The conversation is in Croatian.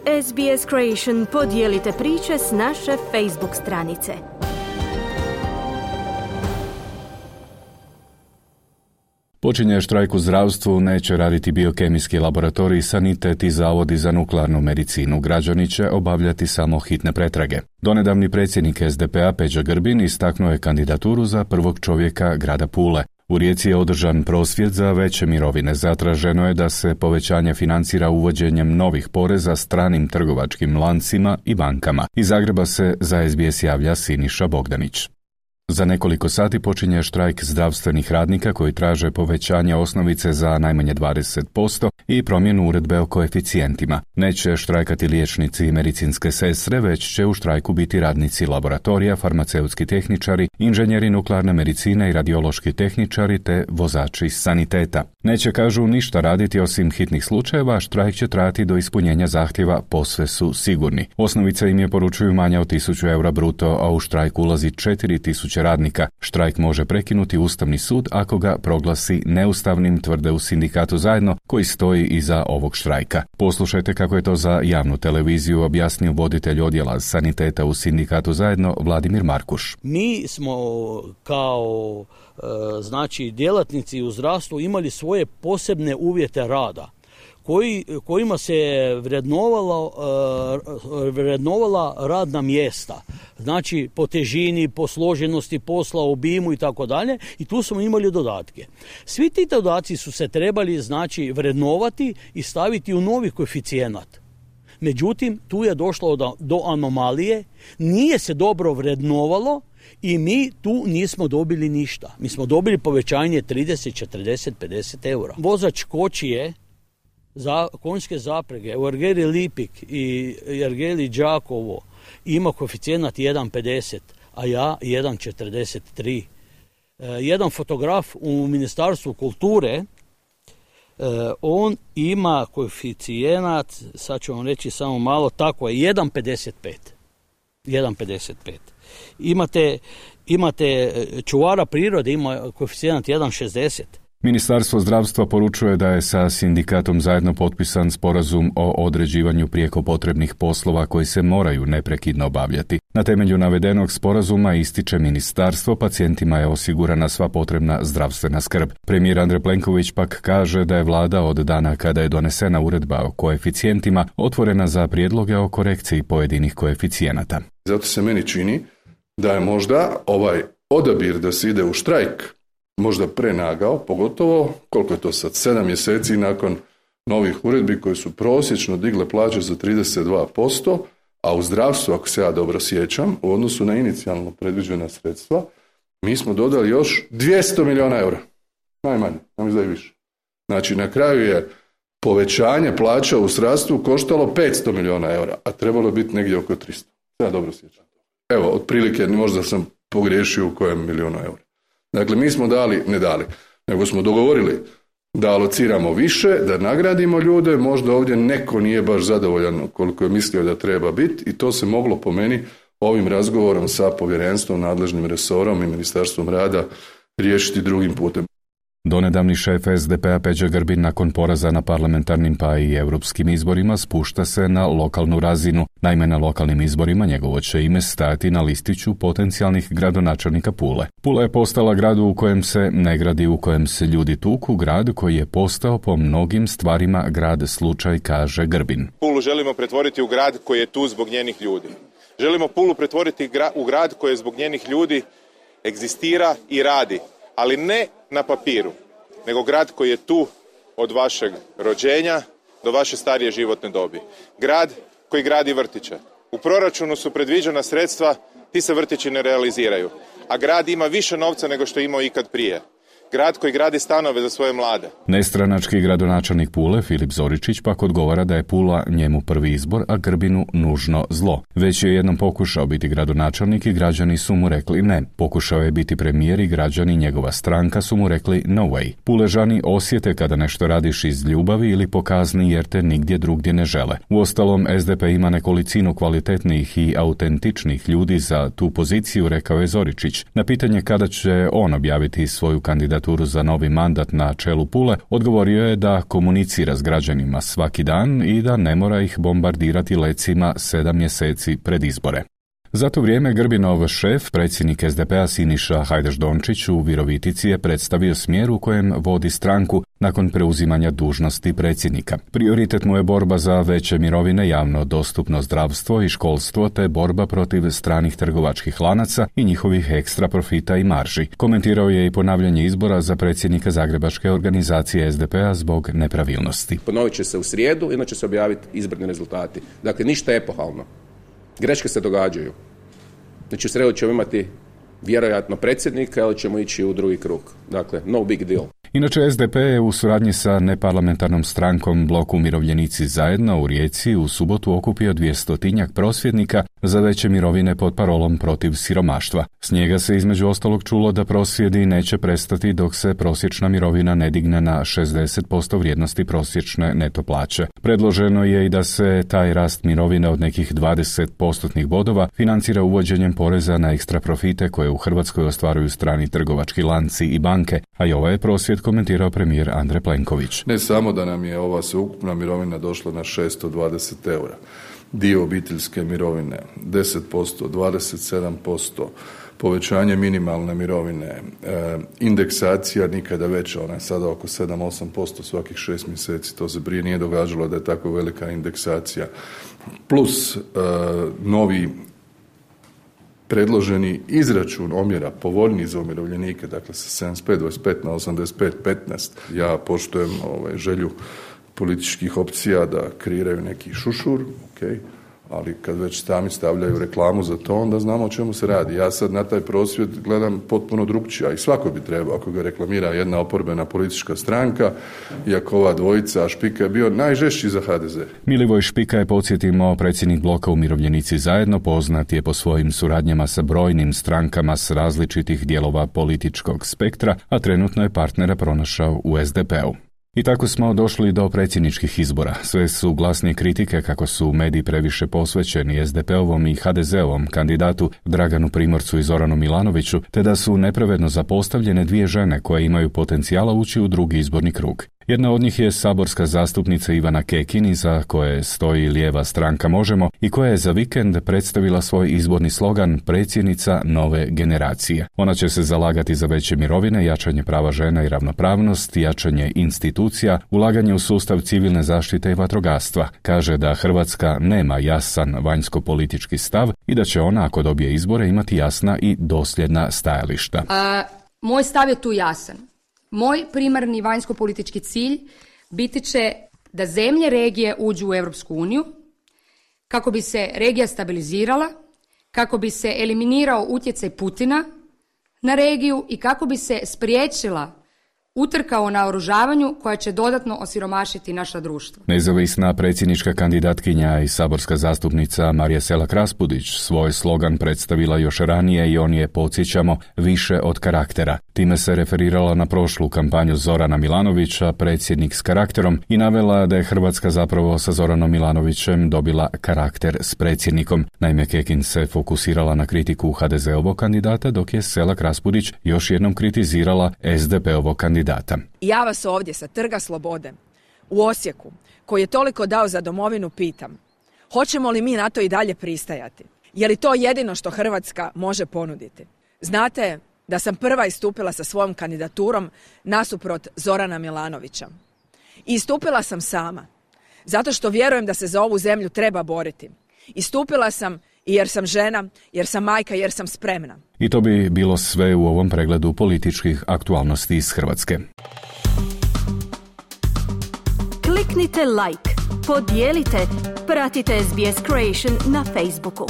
SBS Creation, podijelite priče s naše Facebook stranice. Počinje štrajk u zdravstvu, neće raditi biokemijski laboratorij, sanitet i zavodi za nuklearnu medicinu. Građani će obavljati samo hitne pretrage. Donedavni predsjednik SDP-a Peđa Grbin istaknuo je kandidaturu za prvog čovjeka grada Pule. U Rijeci je održan prosvjed za veće mirovine. Zatraženo je da se povećanje financira uvođenjem novih poreza stranim trgovačkim lancima i bankama. Iz Zagreba se za SBS javlja Siniša Bogdanić. Za nekoliko sati počinje štrajk zdravstvenih radnika koji traže povećanje osnovice za najmanje 20% i promjenu uredbe o koeficijentima. Neće štrajkati liječnici i medicinske sestre, već će u štrajku biti radnici laboratorija, farmaceutski tehničari, inženjeri nuklearne medicine i radiološki tehničari te vozači saniteta. Neće, kažu, ništa raditi osim hitnih slučajeva, štrajk će trajati do ispunjenja zahtjeva, posve su sigurni. Osnovica im je, poručuju, manja od 1000 eura bruto, a u štrajk ulazi 4000 radnika. Štrajk može prekinuti Ustavni sud ako ga proglasi neustavnim, tvrde u sindikatu Zajedno, koji stoji iza ovog štrajka. Poslušajte kako je to za javnu televiziju objasnio voditelj odjela saniteta u sindikatu Zajedno Vladimir Markuš. Mi smo kao djelatnici u zdravstvu imali svoje posebne uvjete rada kojima se vrednovala radna mjesta. Znači po težini, po složenosti posla, obimu i tako dalje, i tu smo imali dodatke. Svi ti dodaci su se trebali vrednovati i staviti u novi koeficijenat. Međutim, tu je došlo do anomalije, nije se dobro vrednovalo i mi tu nismo dobili ništa. Mi smo dobili povećanje 30, 40, 50 eura. Vozač kočije za konjske zaprege u Ergeli Lipik i Ergeli Đakovo ima koeficijenat 1,50, a ja 1,43. Jedan fotograf u Ministarstvu kulture, on ima koeficijenat, sad ću vam reći samo malo, tako je 1,55. Imate čuvara prirode, ima koeficijenat 1,60. Ministarstvo zdravstva poručuje da je sa sindikatom Zajedno potpisan sporazum o određivanju prijeko potrebnih poslova koji se moraju neprekidno obavljati. Na temelju navedenog sporazuma, ističe ministarstvo, pacijentima je osigurana sva potrebna zdravstvena skrb. Premijer Andrej Plenković pak kaže da je vlada od dana kada je donesena uredba o koeficijentima otvorena za prijedloge o korekciji pojedinih koeficijenata. Zato se meni čini da je možda ovaj odabir da se ide u štrajk možda prenagao, pogotovo, koliko je to sad, 7 mjeseci nakon novih uredbi koje su prosječno digle plaće za 32%, a u zdravstvu, ako se ja dobro sjećam, u odnosu na inicijalno predviđena sredstva, mi smo dodali još 200 milijuna eura. Najmanje, nam izdaje više. Znači, na kraju je povećanje plaća u zdravstvu koštalo 500 milijuna eura, a trebalo je biti negdje oko 300. Ja dobro sjećam. Evo, otprilike, možda sam pogriješio u kojem milijunu eura. Dakle, mi smo nego smo dogovorili da alociramo više, da nagradimo ljude, možda ovdje neko nije baš zadovoljan koliko je mislio da treba biti, i to se moglo po meni ovim razgovorom sa povjerenstvom, nadležnim resorom i Ministarstvom rada riješiti drugim putem. Donedavni šef SDP-a Peđa Grbin nakon poraza na parlamentarnim pa i europskim izborima spušta se na lokalnu razinu. Naime, na lokalnim izborima njegovo će ime stajati na listiću potencijalnih gradonačelnika Pule. Pula je postala grad u kojem se ne gradi, u kojem se ljudi tuku, grad koji je postao po mnogim stvarima grad slučaj, kaže Grbin. Pulu želimo pretvoriti u grad koji je tu zbog njenih ljudi. Želimo Pulu pretvoriti u grad koji zbog njenih ljudi egzistira i radi, ali ne na papiru, nego grad koji je tu od vašeg rođenja do vaše starije životne dobi. Grad koji gradi vrtiće. U proračunu su predviđena sredstva, ti se vrtići ne realiziraju, a grad ima više novca nego što je imao ikad prije. Grad koji gradi stanove za svoje mlade. Nestranački gradonačelnik Pule, Filip Zoričić, pak odgovara da je Pula njemu prvi izbor, a Grbinu nužno zlo. Već je jednom pokušao biti gradonačelnik i građani su mu rekli ne. Pokušao je biti premijer i građani, njegova stranka, su mu rekli no way. Puležani osjete kada nešto radiš iz ljubavi ili po kazni jer te nigdje drugdje ne žele. Uostalom, SDP ima nekolicinu kvalitetnih i autentičnih ljudi za tu poziciju, rekao je Zoričić. Na pitanje kada će on objaviti svoju kandidaturu kandidaturu za novi mandat na čelu Pule, odgovorio je da komunicira s građanima svaki dan i da ne mora ih bombardirati lecima 7 mjeseci pred izbore. Za to vrijeme Grbinov šef, predsjednik SDP-a Siniša Hajdaš-Dončić u Virovitici je predstavio smjer u kojem vodi stranku nakon preuzimanja dužnosti predsjednika. Prioritet mu je borba za veće mirovine, javno dostupno zdravstvo i školstvo te borba protiv stranih trgovačkih lanaca i njihovih ekstra profita i marži. Komentirao je i ponavljanje izbora za predsjednika Zagrebačke organizacije SDP-a zbog nepravilnosti. Ponovit će se u srijedu, inače se objaviti izborni rezultati. Dakle, ništa epohalno. Greške se događaju. Znači, u srijedu ćemo imati vjerojatno predsjednika, ali ćemo ići u drugi krug. Dakle, no big deal. Inače, SDP je u suradnji sa neparlamentarnom strankom Blok Umirovljenici zajedno u Rijeci u subotu okupio 200-tinjak prosvjednika za veće mirovine pod parolom protiv siromaštva. S njega se između ostalog čulo da prosvjedi neće prestati dok se prosječna mirovina ne digne na 60% vrijednosti prosječne neto plaće. Predloženo je i da se taj rast mirovine od nekih 20% bodova financira uvođenjem poreza na ekstra profite koje u Hrvatskoj ostvaruju strani trgovački lanci i banke, a i ovaj je prosvjed komentirao premijer Andrej Plenković. Ne samo da nam je ova sveukupna mirovina došla na 620 eura, dio obiteljske mirovine 10%, 27%, povećanje minimalne mirovine, indeksacija nikada veća, ona je sada oko 7-8% svakih 6 mjeseci, to se prije nije događalo da je tako velika indeksacija, plus novi predloženi izračun omjera povoljniji za umirovljenike, dakle sa 75-25 na 85-15. Ja poštujem želju političkih opcija da kreiraju neki šušur, ali kad već sami stavljaju reklamu za to, onda znamo o čemu se radi. Ja sad na taj prosvjed gledam potpuno drugčije, a i svako bi trebao, ako ga reklamira jedna oporbena politička stranka, iako ova dvojica, a Špika je bio najžešći za HDZ. Milivoj Špika je, podsjetimo, predsjednik Bloka Umirovljenici zajedno, poznat je po svojim suradnjama sa brojnim strankama s različitih dijelova političkog spektra, a trenutno je partnera pronašao u SDP-u. I tako smo došli do predsjedničkih izbora. Sve su glasnije kritike kako su mediji previše posvećeni SDP-ovom i HDZ-ovom kandidatu Draganu Primorcu i Zoranu Milanoviću, te da su nepravedno zapostavljene dvije žene koje imaju potencijala ući u drugi izborni krug. Jedna od njih je saborska zastupnica Ivana Kekin, iza koje stoji lijeva stranka Možemo i koja je za vikend predstavila svoj izborni slogan predsjednica nove generacije. Ona će se zalagati za veće mirovine, jačanje prava žena i ravnopravnost, jačanje institucija, ulaganje u sustav civilne zaštite i vatrogastva. Kaže da Hrvatska nema jasan vanjsko-politički stav i da će ona, ako dobije izbore, imati jasna i dosljedna stajališta. Moj stav je tu jasan. Moj primarni vanjsko-politički cilj biti će da zemlje regije uđu u Europsku uniju, kako bi se regija stabilizirala, kako bi se eliminirao utjecaj Putina na regiju i kako bi se spriječila utrka o naoružavanju koja će dodatno osiromašiti naša društva. Nezavisna predsjednička kandidatkinja i saborska zastupnica Marija Selak-Raspudić svoj slogan predstavila još ranije i on je, podsjećamo, više od karaktera. Time se referirala na prošlu kampanju Zorana Milanovića, predsjednik s karakterom, i navela da je Hrvatska zapravo sa Zoranom Milanovićem dobila karakter s predsjednikom. Naime, Kekin se fokusirala na kritiku HDZ-ovog kandidata, dok je Selak-Raspudić još jednom kritizirala SDP-ovog kandidata. Ja vas ovdje sa Trga Slobode u Osijeku, koji je toliko dao za domovinu, pitam, hoćemo li mi na to i dalje pristajati? Je li to jedino što Hrvatska može ponuditi? Znate da sam prva istupila sa svojom kandidaturom nasuprot Zorana Milanovića. I istupila sam sama, zato što vjerujem da se za ovu zemlju treba boriti. Istupila sam i jer sam žena, jer sam majka, jer sam spremna. I to bi bilo sve u ovom pregledu političkih aktualnosti iz Hrvatske. Kliknite like, podijelite, pratite SBS Creation na Facebooku.